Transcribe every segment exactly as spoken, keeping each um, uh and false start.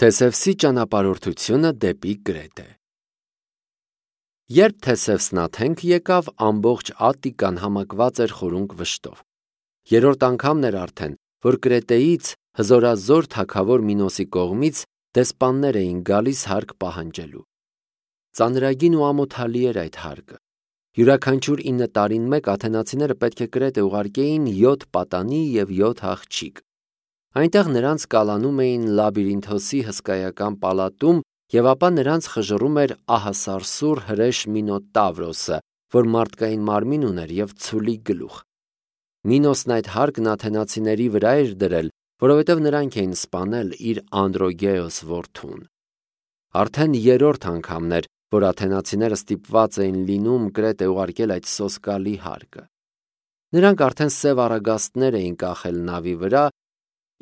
Թեսևսի ճանապարհորդությունը դեպի Կրետե։ Երբ Թեսևսն Աթենք եկավ, ամբողջ Ատտիկան համակված էր խորունկ վշտով։ Երրորդ անգամն էր արդեն, որ Կրետեից հզորազոր թագավոր Մինոսի կողմից դեսպաններ էին գալիս հարկ պահանջելու։ Ծանրագին ու ամոթալի էր այդ հարկը։ Յուրաքանչյուր ինը տարին մեկ աթենացիները պետք է Կրետե ուղարկեին յոթ պատանի և յոթ աղջիկ։ Այնտեղ նրանց կալանում էին Լաբիրինթոսի հսկայական պալատում, և ապա նրանց խժռում էր ահասարսուռ հրեշ Մինոտավրոսը, որ մարդկային մարմին ուներ և ցուլի գլուխ։ Մինոսն այդ հարկն աթենացիների վրա էր դրել, որովհետև նրանք էին սպանել իր Անդրոգեոս որդուն։ Արդեն երրորդ անգամն էր, որ աթենացիները ստիպված էին լինում Կրետե ուղարկել այդ սոսկալի հարկը։ Նրանք արդեն սև առագաստներ էին կախել նավի վրա,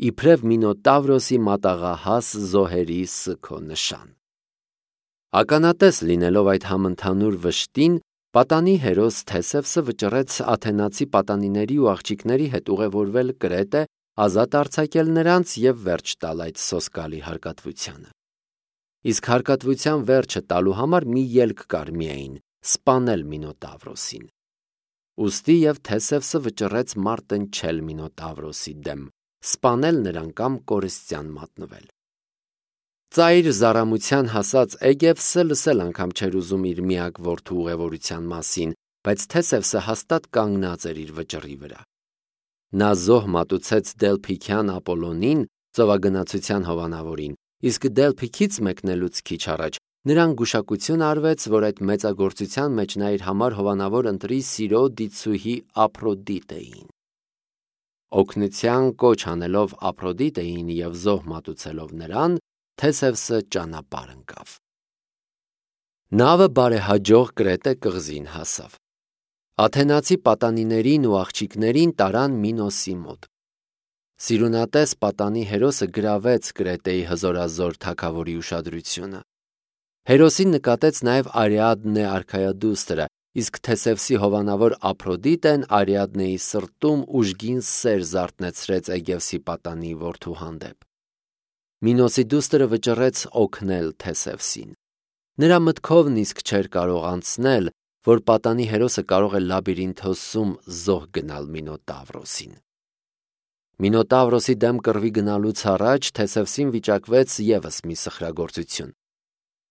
իբրև Մինոտավրոսի մատաղահաս զոհերի սգո նշան։ Ականատես լինելով այդ համընդհանուր վշտին, պատանի հերոս Թեսևսը վճռեց աթենացի պատանիների ու աղջիկների հետ ուղևորվել Կրետե, ազատ արձակել նրանց և վերջ տալ այդ սոսկալի հարկատվությանը։ Իսկ հարկատվության վերջը տալու համար մի ելք կար միայն՝ սպանել Մինոտավրոսին։ Ուստի և Թեսևսը վճռեց մարտնչել Մինոտավրոսի դեմ, սպանել նրան կամ կորստյան մատնվել։ Ծայր զարամության հասած Էգևսը լսել անգամ չէր ուզում իր միակ որդու ուղևորության մասին, բայց Թեսևսը հաստատ կանգնած էր իր վճռի վրա։ Նա զոհ մատուցեց Դելփիքյան Ապոլոնին, ծովագնացության հովանավորին, իսկ Դելփիքից մեկնելուց քիչ առաջ նրան գուշակություն արվեց, որ այդ մեծագործության մեջ նա իր համար հովանավոր ընտրի Սիրո դիցուհի Ափրոդիտեին։ Օգնության կոչ անելով Ափրոդիտեին և զոհ մատուցելով նրան, Թեսևսը ճանապարհ ընկավ։ Նավը բարեհաջող Կրետե կղզին հասավ։ Աթենացի պատանիներին ու աղջիկներին տարան Մինոսի մոտ։ Սիրունատես պատանի հերոսը գրավեց Կրետեի հզորազոր թագավորի ուշադրությունը։ Հերոսին նկատեց նաև Արիադնե արքայադուստրը, իսկ Թեսևսի հովանավոր Ափրոդիտեն Արիադնեի սրտում ուժգին սեր զարթնեցրեց Էգևսի պատանի որդու հանդեպ։ Մինոսի դուստրը վճռեց օգնել Թեսևսին։ Նրա մտքով նիսկ չէր կարող անցնել, որ պատանի հերոսը կարող է Լաբիրինթոսում զոհ գնալ Մինոտավրոսին։ Մինոտավրոսի դեմ կռվի գնալուց առաջ Թեսևսին վիճակվեց ևս մի սխրագործություն։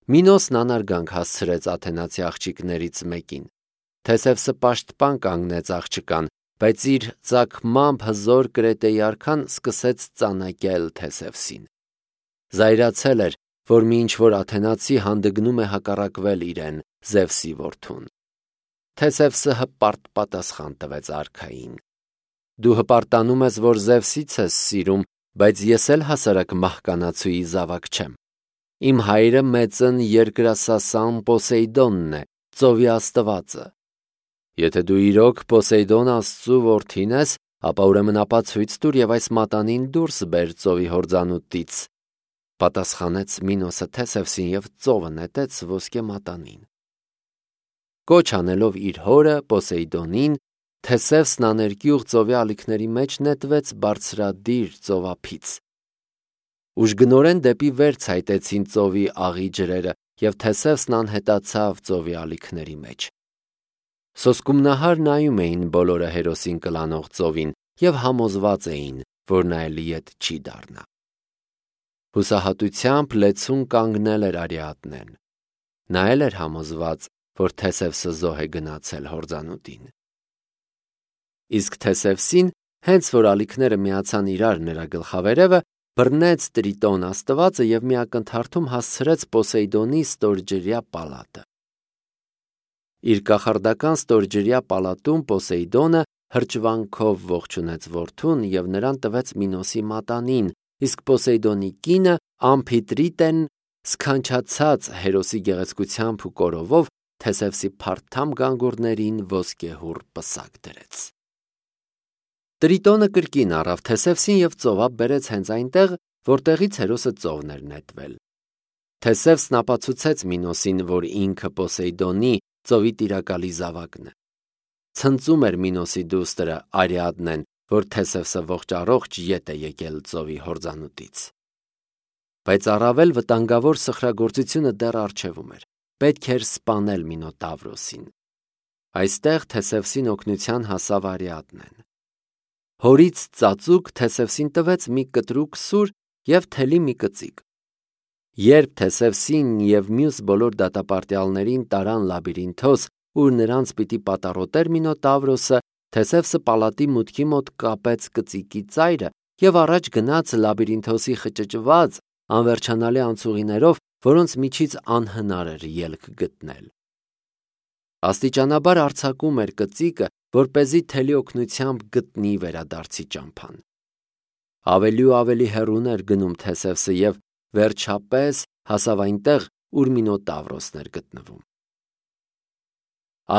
Մինոսն անարգանք հասցրեց աթենացի աղջիկներից մեկին։ Թեսևսը պաշտպան կանգնեց աղջկան, բայց իր ծագմամբ հզոր Կրետեի արքան սկսեց ծանակել Թեսևսին։ Զայրացել էր, որ մի ինչ-որ աթենացի հանդգնում է հակառակվել իրեն, Զևսի որդուն։ Թեսևսը հպարտ պատասխան տվեց արքային. «Դու հպարտանում ես, որ Զևսից ես սիրում, բայց ես էլ հասարակ մահկանացուի զավակ չեմ։ Իմ հայրը մեծն երկրասասան Պոսեյդոնն է, ծովի աստվածը։ Եթե դու իրոք Պոսեյդոն աստծու որդին ես, ապա ուրեմն ապացույց տուր և այս մատանին դուրս բեր ծովի հորձանուտից», պատասխանեց Մինոսը Թեսևսին և ծովը նետեց ոսկե մատանին։ Կոչ անելով իր հորը Պոսեյդոնին, Թեսևսն աներկյուղ ծովի ալիքների մեջ նետվեց բարձրադիր ծովափից։ Ուժգնորեն դեպի վեր ցայտեցին ծովի աղի ջրերը, և Թեսևսն անհետացավ ծովի ալիքների մեջ։ Սոսկումնահար նայում էին բոլորը հերոսին կլանող ծովին և համոզված էին, որ նա էլի ետ չի դառնա։ Հուսահատությամբ լեցուն կանգնել էր Արիադնեն։ Նա էլ էր համոզված, որ Թեսևսը զոհ է գնացել հորձանուտին։ Իսկ Թեսևսին, հենց որ ալիքները միացան իրար նրա գլխավերևը, բռնեց Տրիտոն աստվածը և մի ակնթարթում հասցրեց Պոսեյդոնի ստորջրյա պալատը։ Իր կախարդական ստորջրյա պալատում Պոսեյդոնը հրճվանքով ողջունեց որդուն և նրան տվեց Մինոսի մատանին, իսկ Պոսեյդոնի կինը Ամփիտրիտեն սքանչացած հերոսի գեղեցկությամբ ու կորովով Թեսևսի փարթամ գանգուրներին ոսկեհուռ պսակ դրեց։ Տրիտոնը կրկին առավ Թեսևսին և ծովափ բերեց հենց այնտեղ, որտեղից հերոսը ծովն էր նետվել։ Թեսևսն ապացուցեց Մինոսին, որ ինքը Պոսեյդոնի ծովի տիրակալի զավակն է։ Ցնծում էր Մինոսի դուստրը Արիադնեն, որ Թեսևսը ողջ առողջ ետ է եկել ծովի հորձանուտից։ Բայց առավել վտանգավոր սխրագործությունը դեռ առջևում էր. պետք էր սպանել Մինոտավրոսին։ Այստեղ Թեսևսին օգնության հասավ Արիադնեն։ Հորից ծածուկ Թեսևսին տվեց մի կտրուկ սուր և թելի մի կծիկ։ Երբ Թեսևսին և մյուս բոլոր դատապարտյալներին տարան լաբիրինթոս, ուր նրանց պիտի պատառոտեր Մինոտավրոսը, Թեսևսը պալատի մուտքի մոտ կապեց կծիկի ծայրը և առաջ գնաց լաբիրինթոսի խճճված, անվերջանալի անցուղիներով, որոնց միջից անհնար էր ելք գտնել։ Աստիճանաբար արձակում էր կծիկը, որպեսզի թելի օգնությամբ գտնի վերադարձի ճամփան։ Ավելի ու ավելի հեռուն էր գնում Թեսևսը և վերջապես հասավ այնտեղ, ուր Մինոտավրոսն էր գտնվում։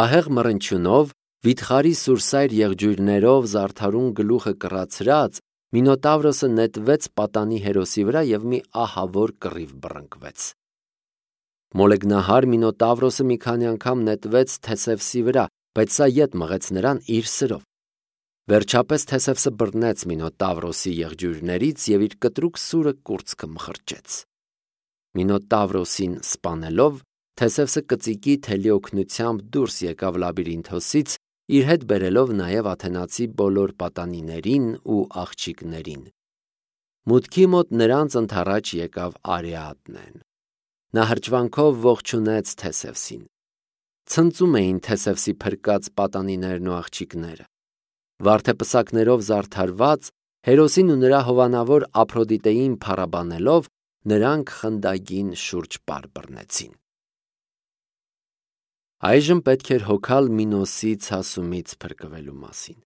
Ահեղ մռնչյունով, վիթխարի սուրսայր եղջյուրներով զարդարուն գլուխը կռացրած, Մինոտավրոսը նետվեց պատանի հերոսի վրա և մի ահավոր կռիվ բռնկվեց։ Մոլեգնահար Մինոտավրոսը մի քանի անգամ նետվեց Թեսևսի վրա, բայց սա ետ մղեց նրան իր սրով։ Վերջապես Թեսևսը բռնեց Մինոտավրոսի եղջյուրներից և իր կտրուկ սուրը կուրծքը մխրճեց։ Մինոտավրոսին սպանելով, Թեսևսը կծիկի թելի օգնությամբ դուրս եկավ լաբիրինթոսից, իր հետ բերելով նաև աթենացի բոլոր պատանիներին ու աղջիկներին։ Մուտքի մոտ նրանց ընդառաջ եկավ Արիադնեն։ Նա հրճվանքով ողջունեց Թեսևսին։ Ցնծում էին Թեսևսի փրկած պատանիներն ու աղջիկները։ Վարդեպսակներով զարդարված, հերոսին ու նրա հովանավոր Ափրոդիտեին փառաբանելով, նրանք խնդագին շուրջ պար բռնեցին։ Այժմ պետք էր հոգալ Մինոսի ցասումից փրկվելու մասին։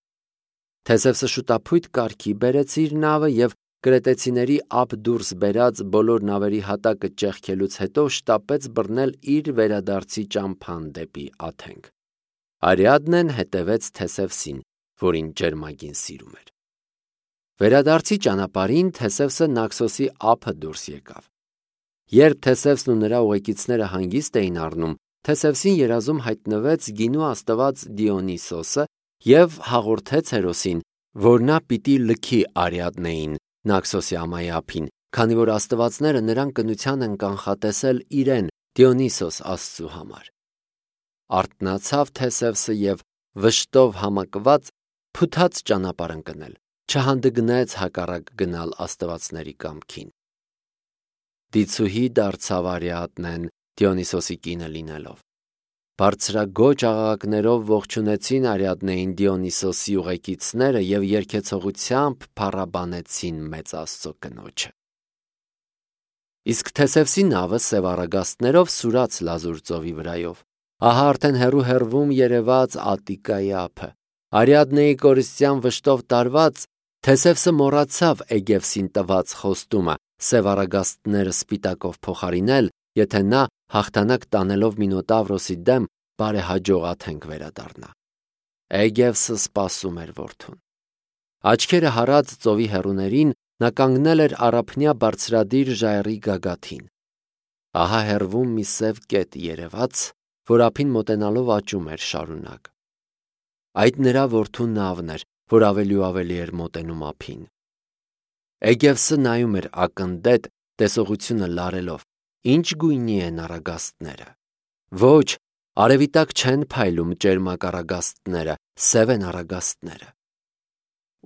Թեսևսը շուտափույթ կարգի բերեց իր նավը և կրետեցիների ափ դուրս բերած բոլոր նավերի հատակը ճեղքելուց հետո շտապեց բռնել իր վերադարձի ճամփան դեպի Աթենք։ Արիադնեն հետևեց Թեսևսին, որին ջերմագին սիրում էր։ Վերադարձի ճանապարհին Թեսևսը Նաքսոսի ափը դուրս եկավ։ Երբ Թեսևսն ու նրա ուղեկիցները հանգիստ էին առնում, Թեսևսին երազում հայտնվեց գինու աստված Դիոնիսոսը և հաղորդեց հերոսին, որ նա պիտի լքի Արիադնեին, Նաքսոսի ամայի ափին, քանի որ աստվածները նրան կնության են կանխատեսել իրեն, Դիոնիսոս աստծու համար։ Արթնացավ Թեսևսը և վշտով համակված փութաց ճանապարհ ընկնել, չհանդգնեց հակառակ գնալ աստվածների կամքին։ Դիցուհի դարձավ Արիադնեն Դիոնիսոսի կինը լինելով։ Բարձրագոչ աղաղակներով ողջունեցին Արիադնեին Դիոնիսոսի ուղեկիցները և երգեցողությամբ փառաբանեցին մեծ Աստծո կնոջը։ Իսկ Թեսևսի նավը սև առագաստներով սուրաց լազուր ծովի վրայով։ Ահա արդեն հեռու-հեռվում երևաց Ատիկայի ափը։ Արիադնեի կորստյան վշտով տարված, Թեսևսը մոռացավ Էգևսին տված խոստումը սև առագաստները սպիտակով փոխարինել, եթե նա հաղթանակ տանելով Մինոտավրոսի դեմ բարեհաջող Աթենք վերադառնա։ Էգևսը սպասում էր որդուն։ Աչքերը հառած ծովի հեռուներին, նա կանգնել էր առափնյա բարձրադիր ժայռի գագաթին։ Ահա հեռվում մի սև կետ երևաց, որ ափին մոտենալով աճում էր շարունակ։ Այդ նրա որդու նավն էր, որ ավելի ու ավելի էր մոտենում ափին։ Էգևսը նայում էր ակնდետ, տեսողությունը լարելով, ինչ գույնի են առագաստները։ Ոչ, արևի տակ չեն փայլում ճերմակ առագաստները, սև են առագաստները։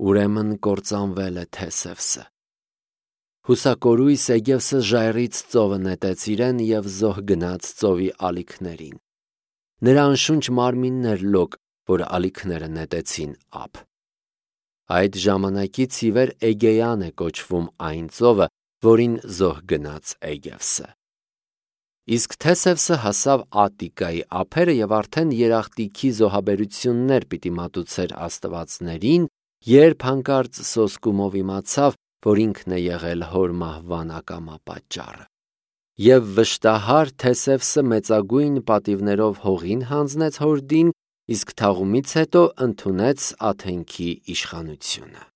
Ուրեմն կործանվել է Թեսևսը։ Հուսակորույս Էգևսը ժայռից ծովը նետեց իրեն և զոհ գնաց ծովի ալիքներին։ Նրա անշունչ մարմինն էր լոկ, որ ալիքները նետեցին ափ։ Այդ ժամանակից ի վեր Էգեյան է կոչվում այն ծովը, որին զոհ գնաց Էգևսը։ Իսկ Թեսևսը հասավ Ատիկայի ափերը և արդեն երախտիքի զոհաբերություններ պիտի մատուցեր աստվածներին, երբ հանկարծ սոսկումով իմացավ, որ ինքն է եղել հոր մահվան ակամա պատճառը։ Եվ վշտահար Թեսևսը մեծագույն պատիվներով հողին հանձնեց հորդին, իսկ թաղումից հետո ընդունեց Աթենքի իշխանությունը։